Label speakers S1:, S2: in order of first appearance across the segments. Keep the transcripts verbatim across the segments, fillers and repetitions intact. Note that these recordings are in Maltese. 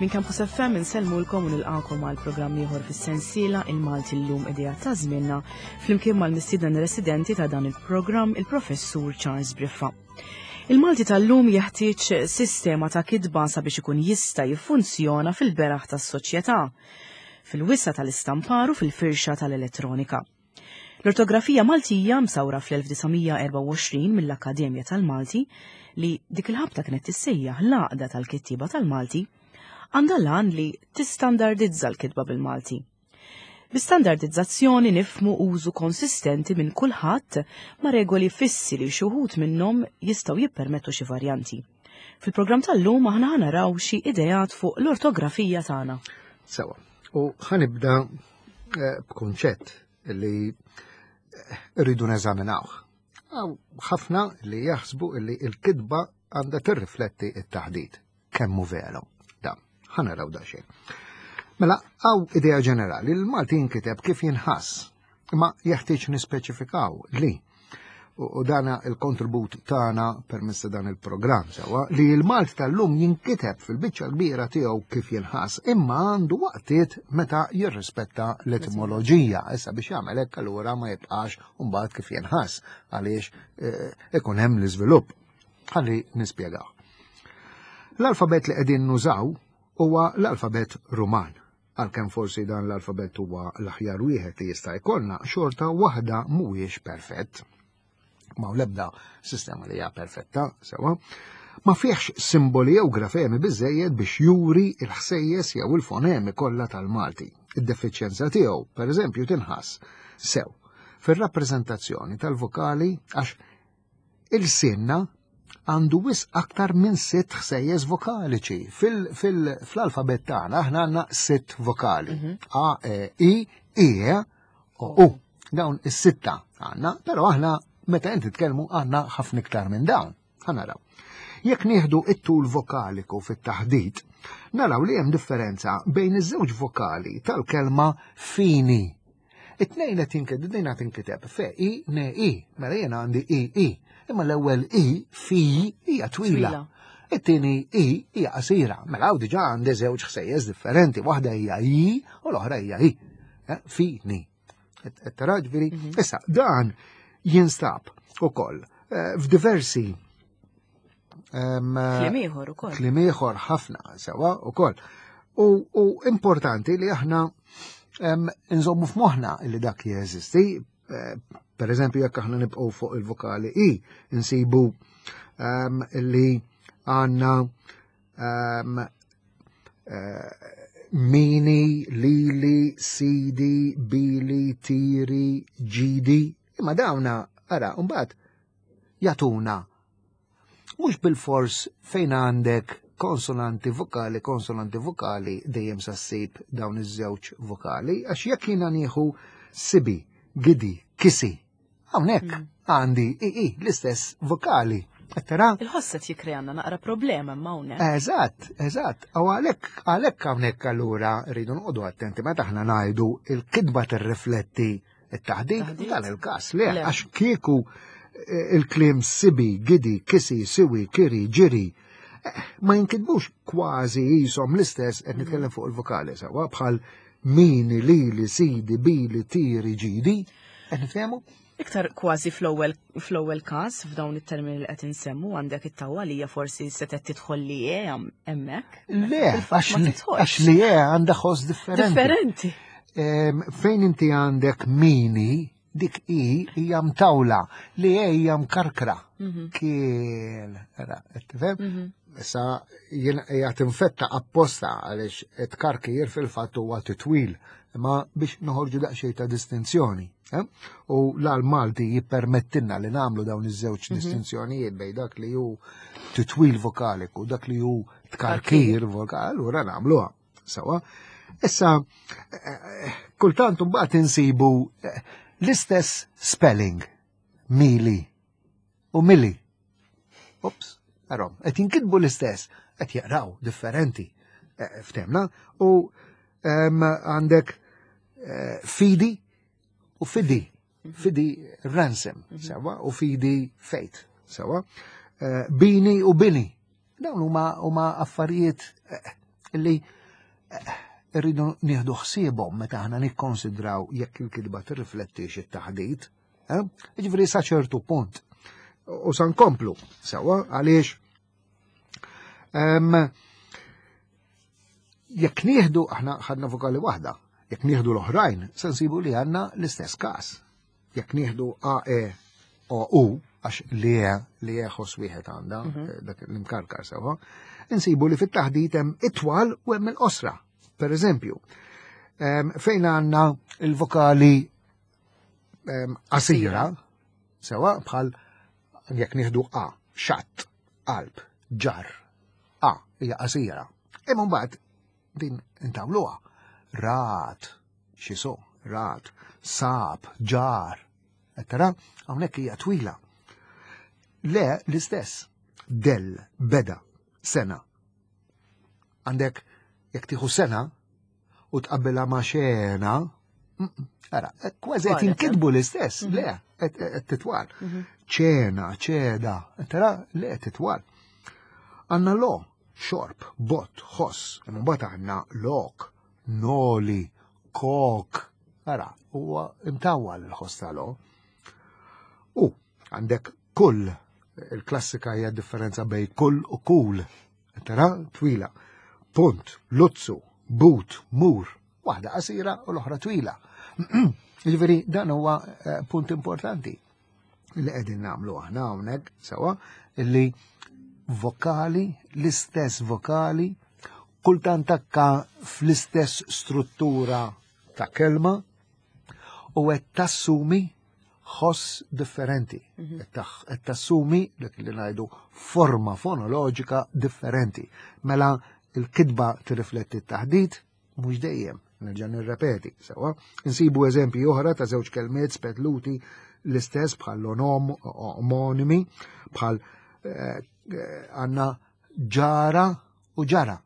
S1: Minn Campus F M insellmulkom u nilqakom għal programm ieħor fis-sensiela Il-Malti Llum, Idea ta' Żmienna, flimkien mal-mistieden residenti ta' dan il-programm, il-Professur Charles Briffa. Il-Malti tal-lum jeħtieġ sistema ta' kitba sabiex ikun jista' jiffunzjona fil-beraħ tas-soċjetà, fil-wisa tal-istampar u fil-firxa tal-elettronika. L-ortografija Maltija, msawra fl-elf disa' mija erbgħa u għoxrin mill-Akkademja tal-Malti, li dik il-ħabta kienet tissejjaħ l-Għaqda tal-Kittieba tal-Malti, għandha l-għan li tistandardizza l-kitba bil-Malti. Bi-standardizzazzjoni nifhmu użu konsistenti minn kulħadd ma' regoli fissi li xi wħud minnhom jistgħu jippermettu xi varjanti. Fil-programm tal-lum aħna naraw xi ideat fuq l-ortografija tagħna.
S2: Sewa, u ħa nibda eh, b'kunċett li eh, rridu neżaminawh. Ħafna li jaħsbu li il-kitba għandha tirrifletti it-taħdit. Kemm hu veru? Da, ħa naraw da xejn. Mela, hawn idea ġenerali, il-Malti jinkiteb kif jinħass, imma jeħtieġ nispeċifikaw li u dana il-kontribut tagħna permezz ta' dan il-programm sewa li l-Malti tal-lum jinkiteb fil-biċċa kbira tiegħu kif jinħass, imma għandu waqtiet meta jirrispetta l-etimoloġija. Issa biex jagħmel hekk allura ma jibqax mbagħad kif jinħass, għaliex eh, ikun hemm l-iżvilupp. Ħalli nispjegaw. L-alfabet li qegħdin nużaw huwa l-alfabet Ruman. Għalkemm forsi dan l-alfabet huwa l-aħjar wieħed li jista' jkollna, xorta waħda mhuwiex perfett. Ma l-ebda sistema li hija perfetta, sewa. Ma fihx simboli jew grafemi biżejjed biex juri il-ħsejjes jew il-fonemi kollha tal-Malti. Id-defiċjenza tiegħu, per eżempju, tinħass sew fir-rappreżentazzjoni tal-vokali, għax il-sinna għandu wisq aktar minn sitt ħsejjes vokaliċi. Fil-alfabet tagħna aħna għandna sitt vokali. Mhm. A, E, I, I, E, O, U. Dawn is-sitta għandna, però aħna meta inti tkellmu għandna ħafna iktar minn dawn. Ħa naraw. Jekk nieħdu it-tul vokaliku fit-taħdit, naraw li hemm differenza bejn iż-żewġ vokali tal-kelma "fini". It-tnejn qed jinkiteb, din qed tinkiteb fe i ne i, mela jiena għandi i i. Imma l-ewwel i, fi, hija twila.
S1: Twila.
S2: It-tieni i hija qasira. Mela hawn diġà għandi żewġ ħsejjes differenti, waħda hija i u l-oħra hija i. Eh, Fini. Tara ġifieri, issa dan jinstab ukoll eh, f'diversi em,
S1: Kliem ieħor ukoll.
S2: Kliem ieħor ħafna sewa ukoll. U, u importanti li aħna em, nżommu f'moħħna li dak jeżisti. Eh, Per eżempju, jekk aħna nibqgħu fuq il-vokali i, insibu em, li għandna em, eh, mini, lili, sidi, bili, tiri, ġidi. Imma dawna, ara, mbagħad jagħtuna mhux bil-fors fejn għandek konsonanti vokali, konsonanti vokali, dejjem sa ssib dawn iż-żewġ vokali, għax jekk jiena nieħu sibi, gidi, kisi, hawnhekk għandi i, i, l-istess vokali. Qed tara?
S1: Il-ħoss qed jikkrealna naqra problema ma hawnhekk.
S2: Eżatt, eżatt. U għalhekk għalhekk hawnhekk allura rridu noqogħdu attenti meta aħna ngħidu il-kitba tirrifletti it-taħdit,
S1: Taħdit.
S2: dan il-każ le,
S1: Le.
S2: għax kieku eh, il-kliem sibi, gidi, kisi, siwi, kiri, ġiri, eh, ma jinkitbux kważi jisom l-istess, qed nitkellem fuq il-vokali sewa, bħal mini, lili, sidi, bili, tiri, ġidi, qed nifhemu?
S1: Iktar kważi fl-ewwel fl-ewwel każ, f'dawn it-termini li qed insemmu, għandek it-tawwalija forsi setgħet tidħol li e hemmhekk.
S2: Le,
S1: Fil-fatt
S2: għax
S1: ma
S2: li-
S1: tidħolx.
S2: għax li e għandha ħoss differenti.
S1: Differenti.
S2: Em, Fejn inti għandek mini, dik i hija mtawla, li e hija mkarkra.
S1: Mhm.
S2: Kien, ara, qed tifhem?
S1: Mhm.
S2: Issa jien hija tinfetta apposta għaliex it-karkir fil-fatt huwa titwil, imma biex noħorġu daqsxejn ta' distinzjoni. Eh? U l-Malti jippermettilna li nagħmlu dawn iż-żewġ
S1: Mhm.
S2: distinzjonijiet bejn dak li hu titwil vokaliku, dak li hu tkarkir vokali, allura nagħmluha. Sewa. Issa, eh, kultant mbagħad insibu eh, l-istess spelling, mili u mili. Ups, arom, qed jinkitbu l-istess, qed jaqraw differenti. Eh, Ftemna, u em, għandek eh, fidi u fidi. Fidi ransom, sewa, u fidi faith, sewa. Eh, Bini u bini. Dawn huma huma affarijiet eh, Illi eh, rridu nieħdu ħsiebhom meta aħna nikkonsidraw jekk il-kitba tirriflettix it-taħdit. Eh? Jiġifieri sa ċertu punt. U sa nkomplu sewwa għaliex jekk nieħdu aħna ħadna vokali waħda, jekk nieħdu l-oħrajn se nsibu li għandna l-istess każ. Jekk nieħdu A E O U, għax li e li e ħoss wieħed għandha mhm. dak l-imkarkar sewwa, insibu li fit-taħdit hemm it-twal u hemm il-qosra. Per eżempju, fejn għandna il-vokali qasira, sewwa bħal jekk nieħdu A, xatt, qalb, ġar, A hija qasira. Imma mbagħad din intawluha. Rat, xiso, rat, sab, ġar, tara, hawnhekk hija twila. Le l-istess, del, beda, sena. Għandek jekk tieħu sena u tqabbilha ma' xena, ara, kważi qed jinkitbu l-istess, le, qed titwal. Ċena, ċeda, tara, le titwal. Għandna lo, xorb, bot, ħoss, mbagħad għandna lok, noli, kok. Ara, huwa imtawwal il-ħoss tal-o. U għandek kull, il-klassika hija differenza bej kull u kul. Tara, twila. Punt, luzzu, but, mur. Waħda qasira u l-oħra twila. Jiġifieri dan huwa punt importanti li qegħdin nagħmlu aħna hawnhekk sewwa illi vokali, l-istess vokali, kultant takka fl-istess struttura ta' kelma u qed tassumi ħoss differenti. Qed tassumi dak li ngħidu forma fonoloġika differenti. Mela il-kitba tirrifletti t-taħdit mhux dejjem, nerġa' nirrepeti, sewwa. Insibu eżempji oħra ta' żewġ kelmiet spetluti l-istess bħal onom, omonimi, bħal għandna ġara u ġara.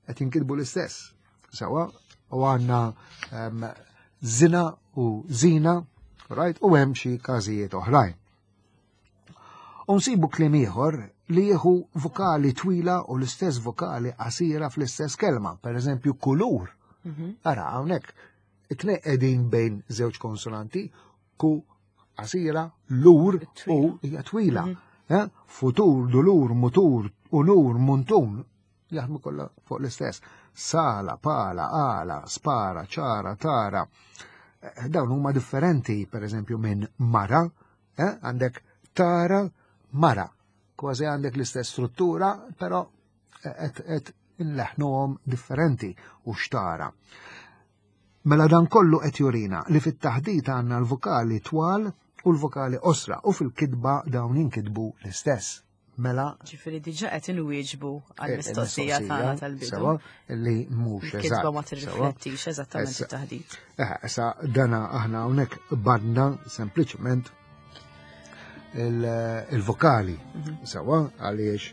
S2: Qed jinkitbu l-istess. Sewwa, u għandna zina u zina, right? U hemm xi każijiet oħrajn. U nsibu kliem ieħor li jieħu vokali twila u l-istess vokali qasira fl-istess kelma, per eżempju kulur. Ara hawnhekk it-tnejn qegħdin bejn żewġ konsonanti, ku qasira, lur u hija twila. Futur, dulur, mutur, unur, muntun, jaħdmu kollha fuq l-istess. Sala, pala, ala, spara, ċara, tara. Dawn huma differenti, per eżempju, minn mara, għandek tara, mara. Kważi għandek l-istess struttura, però qed inleħnuhom differenti u xtara. Mela dan kollu qed jurina li fit-taħdit għandna l-vokali twal u l-vokali qosra u fil-kitba dawn jinkitbu l-istess. Mela
S1: ġifieri diġà qed inwieġbu għall-mistoqsija tagħna tal-bidu.
S2: Sewa li mhux eżatt.
S1: Il-kitba ma tirriflettix eżattament it-taħdit.
S2: Eh, issa dana aħna hawnhekk badna sempliċement il-vokali. Sewa għaliex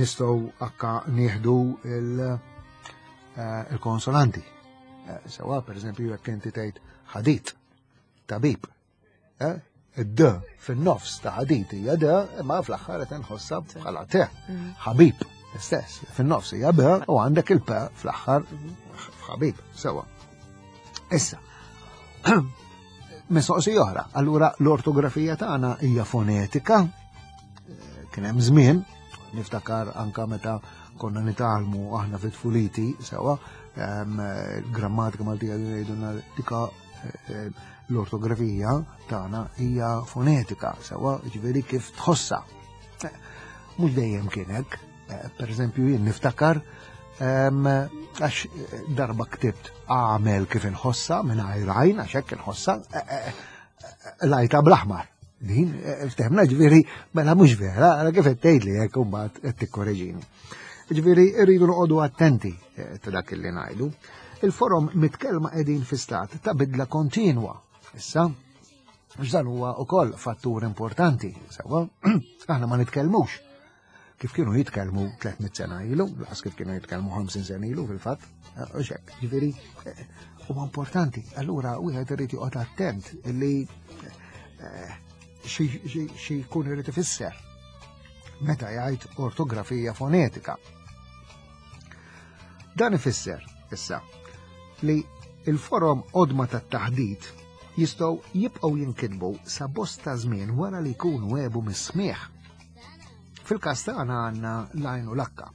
S2: nistgħu akka nieħdu il-konsonanti. Sewa, per eżempju, jekk inti tgħid ħadit, tabib. Id-d fin-nofs ta' ħadit hija d, imma fl-aħħar qed inħossha bħala t. Ħabib, istess, fin-nofs hija b u għandek il-p fl-aħħar f'ħabib, sewa. Issa, mistoqsija oħra, allura l-ortografija tagħna hija fonetika, kien hemm żmien, niftakar anka meta konna nitgħallmu aħna fit-tfuliti, sewa, grammatika Maltija jgħidulna dika l-ortografija tagħna hija fonetika, sewa, ġifieri kif tħossha. Mhux dejjem kien hekk. Per eżempju, jien niftakar għax darba ktibt għamel kif inħossha mingħajr għajn, għax hekk inħossha, lajta bl-aħmar. Din, ftehmna ġifieri, mela mhux vera, ara kif qed tgħidli hekk u mbagħad qed tikkoreġini. Ġifieri rridu noqogħdu attenti ta' dak li ngħidu. Il-forom mitkellma qegħdin fi stat ta' bidla kontinwa. Issa, x'dan huwa wkoll fattur importanti, sewwa, aħna ma nitkellmux kif kienu jitkellmu tliet mitt sena ilu, laqas kif kienu jitkellmu ħamsin sena ilu fil-fatt, u xek, ġifieri huwa importanti. Allura wieħed irid joqgħod attent li xi jkun irid ifisser meta jgħid ortografija fonetika. Dan ifisser issa li il-forom qodma tat-taħdit jistgħu jibqgħu jinkitbu sa bosta żmien wara li jkunu għebu mis-smieħ. Fil-każ tagħna għandna l-għajn u l-akka.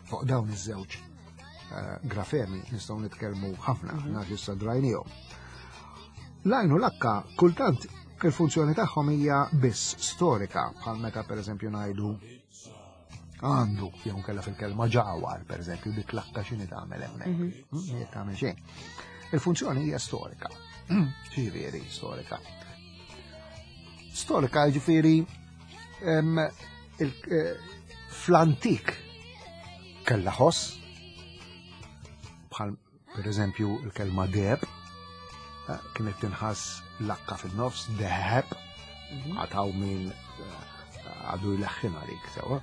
S2: Fuq dawn iż-żewġ eh, grafemi nistgħu nitkellmu ħafna, għax issa drajnihom. L-għajn u l-akka kultant il-funzjoni tagħhom hija biss storika, bħal meta pereżempju ngħidu għandu jew kella fil-kelma ġawar, pereżempju, dik l-akka x'inhi tagħmel hemmhekk. Mm, Jekk tagħmel xejn. Il-funzjoni hija storika. Ġifieri storika. Storika ġifieri em, il- eh, fl-antik kella ħoss, bħal per eżempju il-kelma deheb, eh, kienet tinħass l-akka fin-nofs, deheb, għataw min eh, għadu jleħħin għalik, sewa.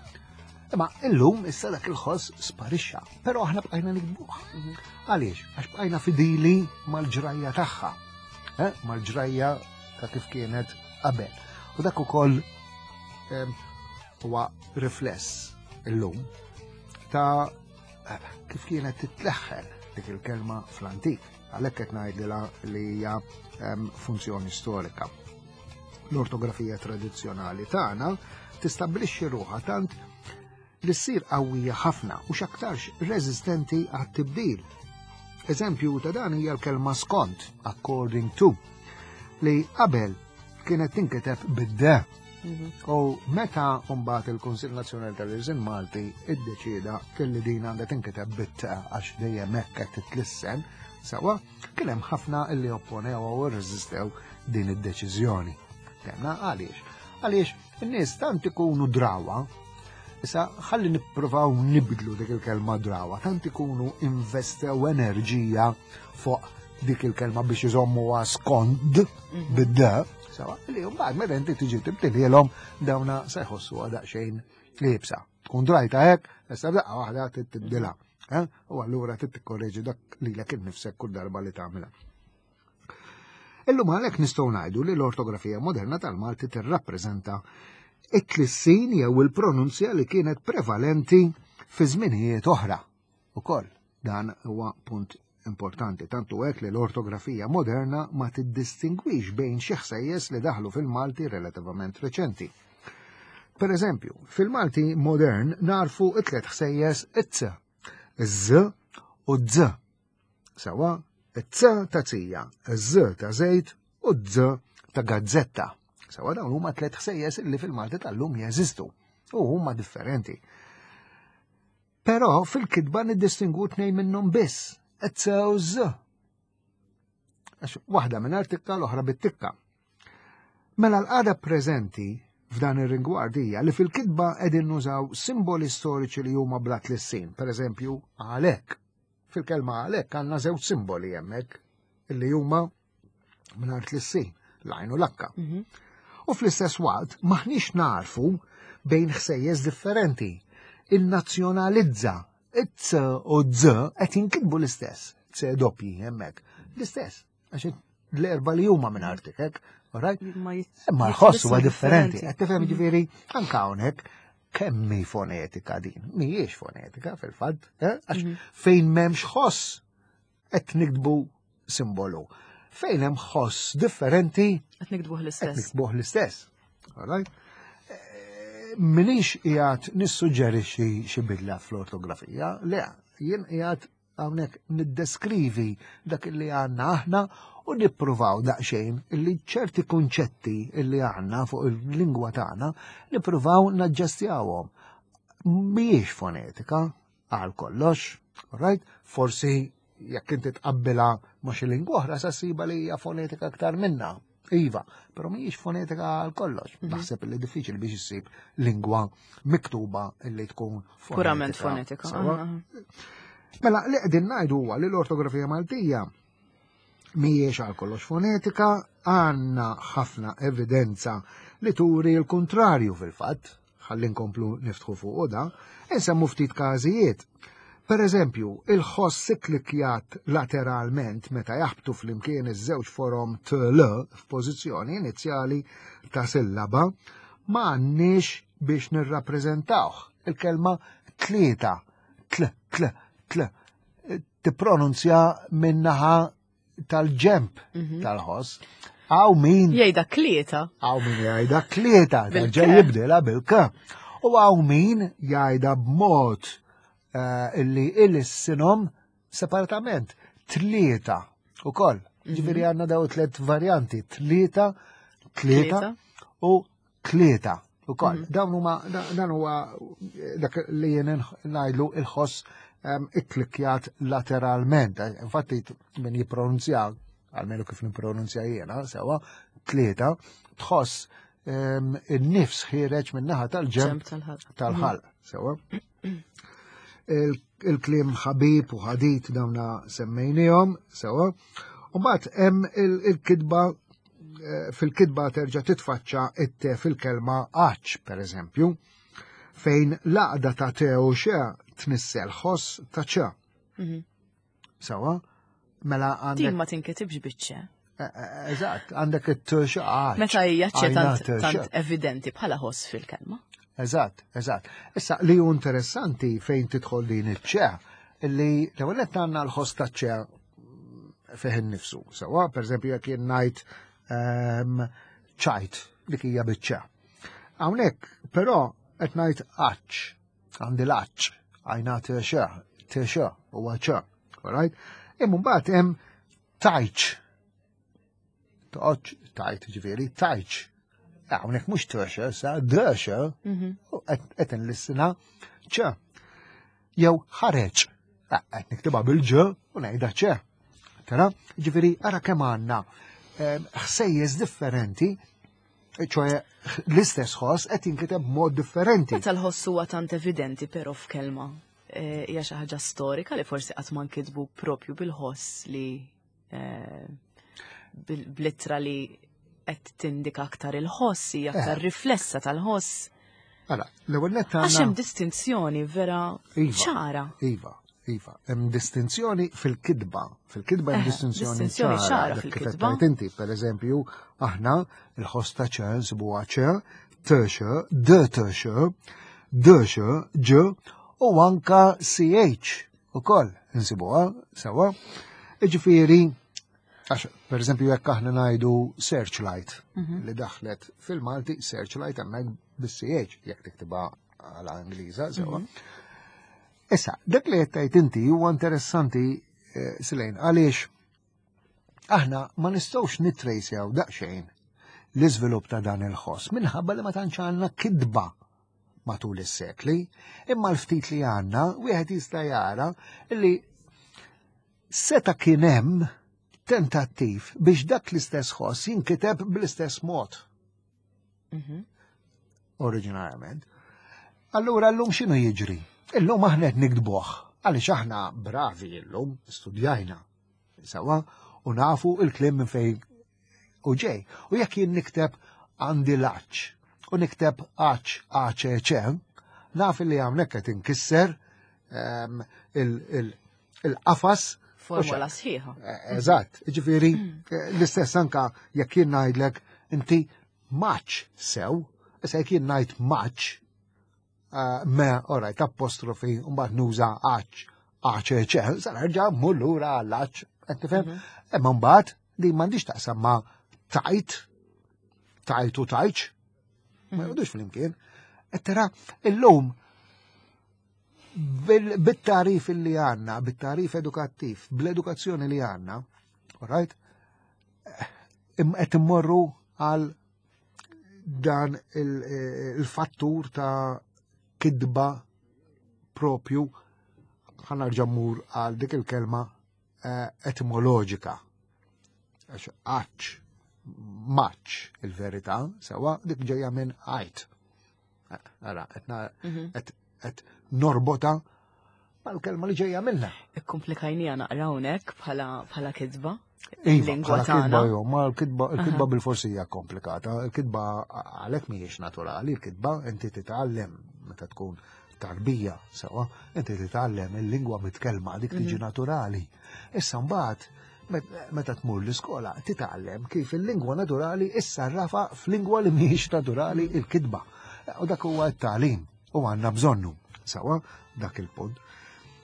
S2: Imma illum issa dak il-ħoss sparixxa, però aħna bqajna nikbuh. Għaliex? Għax bqajna fidili mal-ġrajja tagħha, eh? Mal-ġrajja ta' kif kienet qabel. U dak ukoll em, huwa rifless illum ta' eh, kif kienet titleħħen dik il-kelma fl-antik. Għalhekk qed ngħidilha li hija em, funzjoni storika. L-ortografija tradizzjonali tagħna tistabbilixxi ruħha tant li ssir qawwija ħafna u x'aktarx reżistenti għat-tibdil. Eżempju ta' dan hija l-kelma skont, according to, li qabel kienet tinkiteb bid-de. U meta mbagħad il-Kunsill Nazzjonali tal-Ilsien Malti iddeċieda kelli din għandha tinkiteb bit-t għax dejjem hekk qed titlissen, sewa kien hemm ħafna illi opponew u rreżistew din id-deċiżjoni. Temna għaliex? Għaliex in-nies tant ikunu drawa, issa ħalli nippruvaw nibdlu dik il-kelma drawa, tant ikunu investew enerġija fuq dik il-kelma biex iżommuha skond bid-d, sewa, li mbagħad meta inti tiġi tibdilhielhom dawna se jħossuha daqsxejn iebsa. Tkun drajta hekk, issa daqqa waħda tibdilha. eh? U allura trid tikkorreġi dak lilek innifsek kull darba li tagħmilha. Illum għalhekk nistgħu ngħidu li l-ortografija moderna tal-Malti tirrappreżenta it-tlissin jew il-pronunzja li kienet prevalenti fi żminijiet oħra. Ukoll dan huwa punt importanti, tantu hekk li l-ortografija moderna ma tiddistingwix bejn xi ħsejjes li daħlu fil-Malti relativament reċenti. Per eżempju, fil-Malti modern narfu it-tlet ħsejjes it-c, iż-z u d-z. Sewa, it-c ta' tija, iż-z ta' żejt u d-z ta' gazzetta. Sewa dawn huma tliet ħsejjes li fil-Malti tal-lum jeżistu u huma differenti. Però fil-kitba niddistingu tnejn minnhom biss, it-c u z. Għax waħda minn tikka l-oħra bit-tikka. Mela l-qagħda preżenti f'dan ir-rigward hija li fil-kitba qegħdin nużaw simboli storiċi li huma bla tlissin, per eżempju għalhekk. Fil-kelma għalhekk għandna żewġ simboli hemmhekk illi huma mingħajr tlissin, l-għajn u l-akka. U fl-istess waqt maħniex narfu bejn ħsejjes differenti. Il-nazzjonalizza, it-c u z qed jinkitbu l-istess, c doppji hemmhekk. L-istess, għax l-erba li huma minn artikek, alright?
S1: Ma
S2: Imma l-ħoss huwa differenti. Qed tifhem ġifieri anke hawnhekk kemm hi fonetika din? Mhijiex fonetika fil-fatt, eh? Għax fejn m'hemmx ħoss qed niktbu simbolu. Fejn hemm ħoss differenti
S1: Qed niktbuh
S2: qed
S1: l-istess.
S2: niktbuh l-istess. Alright? Eh, Minix qiegħed nissuġġerixxi xi bidla fl-ortografija, le, jien qiegħed hawnhekk niddeskrivi dak li għandna aħna u nippruvaw daqsxejn illi ċerti kunċetti illi għandna fuq il-lingwa tagħna nippruvaw naġġestjawhom. Mhijiex fonetika għal kollox, alright? Forsi jekk inti tqabbilha ma' xi lingwa oħra sa ssiba li hija fonetika aktar minna. Iva, però mhijiex fonetika għal kollox. Naħseb li diffiċli biex issib lingwa miktuba illi tkun fonetika.
S1: Purament fonetika.
S2: Sewa?
S1: aha.
S2: Mela, li qegħdin ngħidu huwa li l-ortografija Maltija mhijiex għal kollox fonetika, għandna ħafna evidenza li turi l-kontrarju fil-fatt, ħalli nkomplu niftħu fuq da, insemmu ftit każijiet. Per eżempju, il-ħoss siklikjat lateralment meta jaħbtu flimkien iż-żewġ forom T L f'pożizzjoni inizjali ta' sillaba ma għandniex biex nirrappreżentawh. Il-kelma tlieta, tl, tl, tl. tippronunzja min-naħa tal-ġemp
S1: Mhm.
S2: tal-ħoss. Hawn min
S1: Jgħidha klieta.
S2: Hawn min jgħidha klieta,
S1: Bil-K.
S2: terġa' jibdilha bil-K. U hawn min jgħidha b'mod eh, illi ilissinhom separatament. Tlieta ukoll. Ġifieri għandna daw tliet varjanti, tlieta, tlieta
S1: Tlieta.
S2: u tlieta ukoll. Dawn huma da- dan huwa dak li jien ngħidlu il-ħoss em, ikklikjat lateralment. Infatti min jippronunzja, almenu kif nippronunzja jiena, sewa, tlieta, tħoss em, in-nifs ħiereġ min-naħa tal-ġemp
S1: Ġemp tal-ħalq.
S2: tal-ħalq, sewa. Il- Il-kliem ħabib u ħadit dawna semmejnihom, sewa. U mbagħad hemm il- il-kitba eh, fil-kitba terġa' titfaċċa it-te fil-kelma għaċ, per eżempju, fejn l-għaqda ta' te u xe tnissel ħoss ta' ċe.
S1: Mhm.
S2: Sewa, mela
S1: Din
S2: għandek.
S1: ma tinkitibx biċ-ċe.
S2: Eh, eh, Eżatt, għandek it-t għaċ.
S1: Meta hija ċe
S2: Għajna
S1: tant
S2: t xe.
S1: tant evidenti bħala ħoss fil-kelma.
S2: Eżatt, eżatt. Issa li hu interessanti fejn tidħol din iċ-ċe, li l-ewwel nett għandna l-ħoss ta' ċe fih innifsu. Sewa, per eżempju, jekk jien ngħid ehm, ċajt dik hija biċ-ċe. Hawnhekk, però qed ngħid għaċ, għandi l-għaċ, għajna t-xe, t-xe, huwa ċe, alright? Imma mbagħad hemm tajċ. Toqgħodx tajt ġifieri, tajċ. Hawnhekk mhux t-xe, sa d-xe,
S1: Mhm.
S2: u qed inlissina ċe. Jew ħareġ. Ah, qed niktibha bil-ġ u ngħidha ċe. Tara, ġifieri ara kemm għandna em, ħsejjes differenti, ċoe l-istess ħoss qed jinkiteb b'mod differenti.
S1: Meta l-ħoss huwa tant evidenti però f'kelma eh, hija xi ħaġa storika li forsi qatt ma nkitbu propju bil-ħoss li eh, bil- bl-ittra li qed tindika aktar il-ħoss, hija aktar
S2: Eh.
S1: riflessa tal-ħoss.
S2: Ara, l-ewwel nett
S1: Għax hemm
S2: għandna
S1: distinzjoni vera
S2: Iva.
S1: ċara.
S2: Iva, iva, hemm distinzjoni fil-kitba. Fil-kitba hemm
S1: Eh,
S2: distinzjoni
S1: distinzjoni ċara
S2: dak kif qed
S1: fil-kitba.
S2: tgħid inti, per eżempju, aħna il-ħoss ta' ċe nsibuha ċe, t x, d t x, d x, ġ u anka C H ukoll nsibuha sewa. Iġifieri, għax per eżempju jekk aħna ngħidu searchlight
S1: Mhm.
S2: li daħlet fil-Malti, searchlight hemmhekk bis-C H jekk tiktibha għala Ingliża sewa. Issa, dak li qed tgħid inti huwa interessanti eh, Silejn, għaliex aħna ma nistgħux nittrejsjaw daqsxejn l-iżvilupp ta' dan il-ħoss minħabba li ma tantx għandna kitba matul is-sekli, imma l-ftit li għandna wieħed jista' jara li seta' kien hemm tentattiv biex dak l-istess ħoss jinkiteb bl-istess mod
S1: Mhm.
S2: oriġinarjament. Allura llum x'inhu jiġri? Illum aħna qed niktbuh għaliex aħna bravi illum, studjajna sewa u nafu il-kliem minn fejn u ġej. U jekk jien nikteb għandi l-għaċ u nikteb għaċ A C C, naf li hawnhekk qed inkisser ehm, il- il- il-qafas.
S1: Formola sħiħa.
S2: Eh, Eżatt, ġifieri, eh, l-istess anka jekk jien ngħidlek inti maċ sew, issa jekk jien ngħid maċ, eh, me, alright, apostrofi, u mbagħad nuża għaċ, A C C, sa nerġa' mmur lura għall-għaċ, qed tifhem? Imma mbagħad li m'għandix taqsam ma tajt, tajt u tajċ, ma jgħodux flimkien. Qed tara, illum bil- bit-tarif li għandna, bit-tarif edukattiv, bl-edukazzjoni li għandna, alright, im- qed immorru għal dan il- il-fattur ta' kidba propju, ħa nerġa' mmur għal dik il-kelma eh, etimoloġika. Għax għaċ, maċ il-verità, sewa dik ġejja minn għajt. Eh, Ara, qed qed norbota mal-kelma li ġejja minna.
S1: Ikkomplikajnija naqra hawnhekk bħala bħala kitba.
S2: Iva,
S1: Lingwa
S2: bħala kitba
S1: tagħna.
S2: jo, ma l-kitba il-kitba bil-forsi hija komplikata, il-kitba għalhekk mhijiex naturali, il-kitba inti titgħallem meta tkun tarbija, sewa, inti titgħallem il-lingwa mitkellma, dik tiġi naturali. Issa mbagħad met- meta tmur l-iskola titgħallem kif il-lingwa naturali issarrafa f'lingwa li mhijiex naturali, il-kitba. U dak huwa t-tagħlim u għandna bżonnu, sewa, dak il-punt.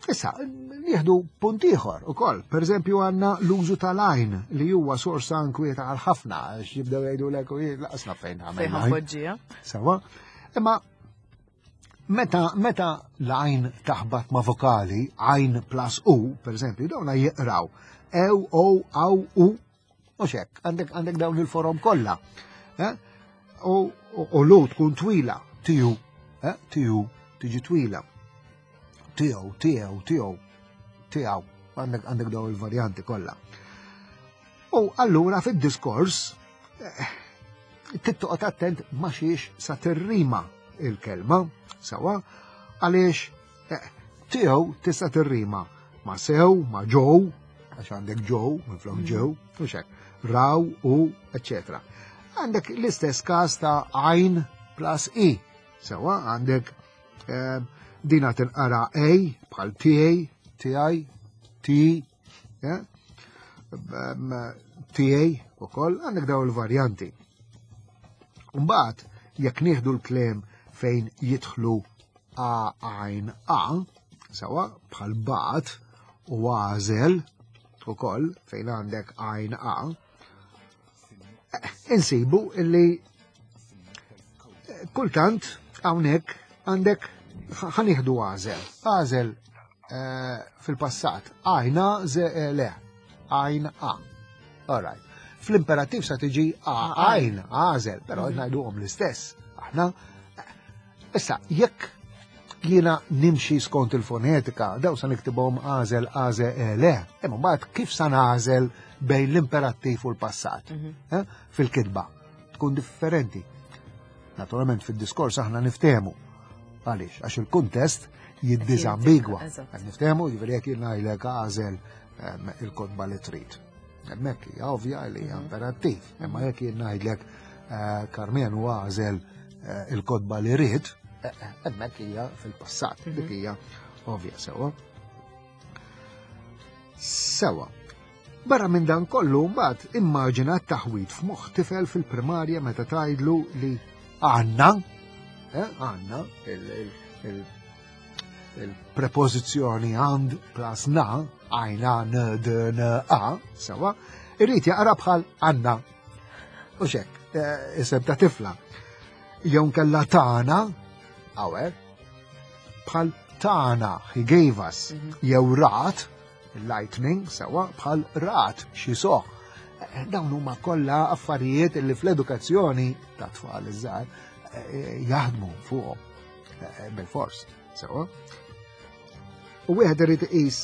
S2: Issa, nieħdu punt ieħor ukoll. Pereżempju għandna l-użu tal-għajn li huwa sorsa inkwieta għal ħafna għax jibdew jgħidulek u laqasna fejn
S1: Fejn ħanpoġġiha.
S2: Sawa. Imma meta meta l-għajn taħbat ma' vokali, għajn plus u, pereżempju, dawna jiqraw ew, o, aw, u, u xek, għandek għandek dawn il-forom kollha. Eh? U u l tkun twila, tiju, eh? Tiju, tiġi twila. Tiegħu, tiegħu, tiegħu, tiegħu, għandek għandek dawn il-varjanti kollha. U allura fid-diskors eh, tittoqgħod attent ma xiex sa tirrima il-kelma, sawa, għaliex eh, tiegħu tista' tirrima ma sew, ma ġow, għax għandek ġow, minflok ġew, u xek, raw u eccetera. Għandek l-istess każ ta' għajn plus i, sawa, għandek eh, dina tinqara A bħal T A, T I, T, eh, T A u koll, għandek daw il-varjanti. Mbagħad, jekk nieħdu l-kliem fejn jidħlu A għajn A, sawa, bħal bat u għażel u koll fejn għandek għajn A, insibu illi kultant hawnhekk għandek ħa nieħdu għażel. Għażel eh, fil-passat, għajna ze eh, le, għajn A. All right. Fl-imperattiv sa tiġi A għajn, għażel, però ngħiduhom l-istess. Aħna, issa, jekk jiena nimxi skont il-fonetika, daw sa niktibhom għażel, għażel, e, le. Imma mbagħad kif sa nagħżel bejn l-imperattiv u l-passat? Eh? Fil-kitba. Tkun differenti. Naturalment fil-diskors aħna niftehmu. Għaliex? Għax il-kuntest jiddizambigwa.
S1: Eżatt.
S2: Qed niftehmu, jiġifieri jekk jien ngħidlek għażel em, il-kotba li trid. Hemmhekk hija ovvja li hija imperattiv. Imma jekk jien ngħidlek eh, Karmenu għażel eh, il-kotba li rid, eh, eh, hemmhekk hija fil-passat, dik hija ovvja sewa. Sewa. Barra minn dan kollu mbagħad immaġina t-taħwit f'moħħ tifel fil-primarja meta tgħidlu li għandna, eh, għandna il-prepożizzjoni għand plus na, għajna n d n a, sewa, irrid jaqra bħal għanna. U xek, eh, isem ta' tifla. Jew kella tagħna, hawnhekk, bħal tana, he gave us, jew rat, lightning, sewa, bħal rat, xi soħ. Eh, Dawn huma kollha affarijiet li fl-edukazzjoni ta' tfal iż-żgħar eh, jaħdmu fuqhom eh, bil-fors, sewa. U wieħed irid iqis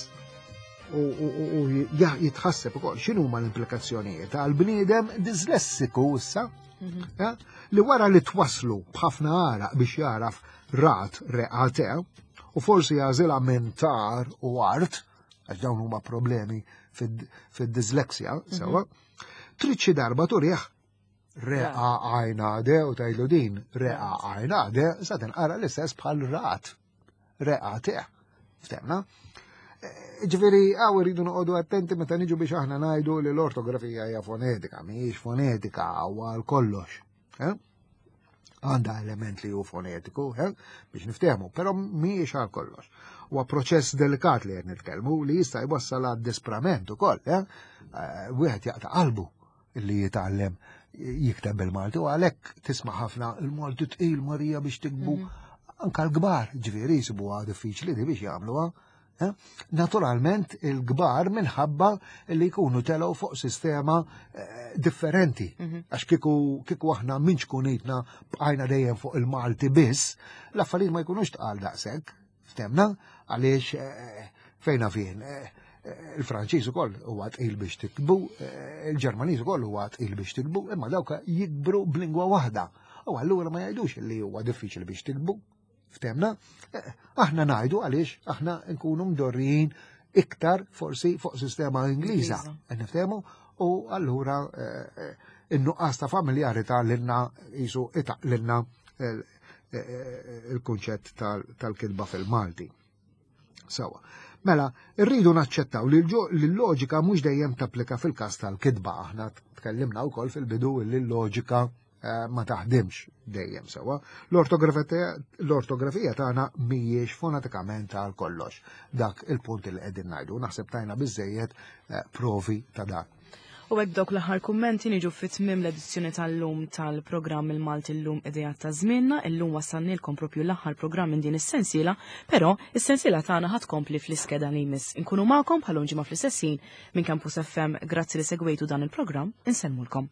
S2: u, u, u, u ja- jitħasseb ukoll x'inhu huma l-implikazzjonijiet għal bniedem dislessiku issa, ja, li wara li twaslu b'ħafna għaraq biex jaraf rat reqate u forsi jagħżilha minn tar u art, għax dawn huma problemi fid-disleksja, sewa, trid xi darba turih reqa għajna de u tgħidlu din reqa għajna de sa tinqara l-istess bħal rat reqa te. Ftemna? Ġifieri, hawn irridu noqogħdu attenti meta niġu biex aħna ngħidu li l-ortografija hija fonetika, mhijiex fonetika għal kollox. Eh? Għandha element li hu fonetiku, eh? Biex niftehmu, però mhijiex għal kollox. Huwa proċess delikat li qed nitkellmu li jista' jwassal għad disprament ukoll, eh? Eh, Wieħed jaqta' qalbu li jitgħallem jikteb bil-Malti u għalhekk tisma' ħafna il-Malti tqil Marija biex tiktbu anka l-kbar, ġifieri jsibuha diffiċli di biex jagħmluha. Eh? Naturalment il-kbar minħabba li jkunu telgħu fuq sistema eh, differenti. Għax kieku kieku aħna minn ċkunitna bqajna dejjem fuq il-Malti biss, l-affarijiet ma jkunux tqal daqshekk. Ftemna għaliex eh, fejna fien. eh, eh, Il-Franċiż ukoll huwa tqil biex tiktbu, eh, il-Ġermaniż ukoll huwa tqil biex tiktbu, imma dawk jikbru b'lingwa waħda. U allura ma jgħidux li huwa diffiċli biex tiktbu. Ftemna? Eh, Aħna ngħidu għaliex aħna nkunu mdorrijin iktar forsi fuq sistema Ingliża.
S1: Ingliża.
S2: Qed niftehmu? U allura eh, eh, in-nuqqas ta' familjarità lilna jisu itaq lilna il-kunċett tal-kitba fil-Malti. Sawa. Mela, rridu naċċettaw li l-loġika mhux dejjem tapplika fil-każ tal-kitba. Aħna tkellimna wkoll fil-bidu li l-loġika eh, ma taħdimx dejjem sewa. L-ortografija tagħna mhijiex fonetikament għal kollox. Dak il-punt li qegħdin ngħidu. Naħseb tajna biżejjed eh, provi ta' dan.
S1: U hekk dawk l-aħħar kummenti niġu fi tmiem l-edizzjoni tal-lum tal-programm Il-Malti Llum, Ideat ta' Żmienna. Illum wassannilkom propju l-aħħar programm minn din is-sensiela, però is-sensiela tagħna ħa tkompli fl-iskeda li jmiss. Inkunu magħkom bħal ġimgħa fl-istess ħin minn Campus F M. Grazzi li segwejtu dan il-programm, insellmulkom.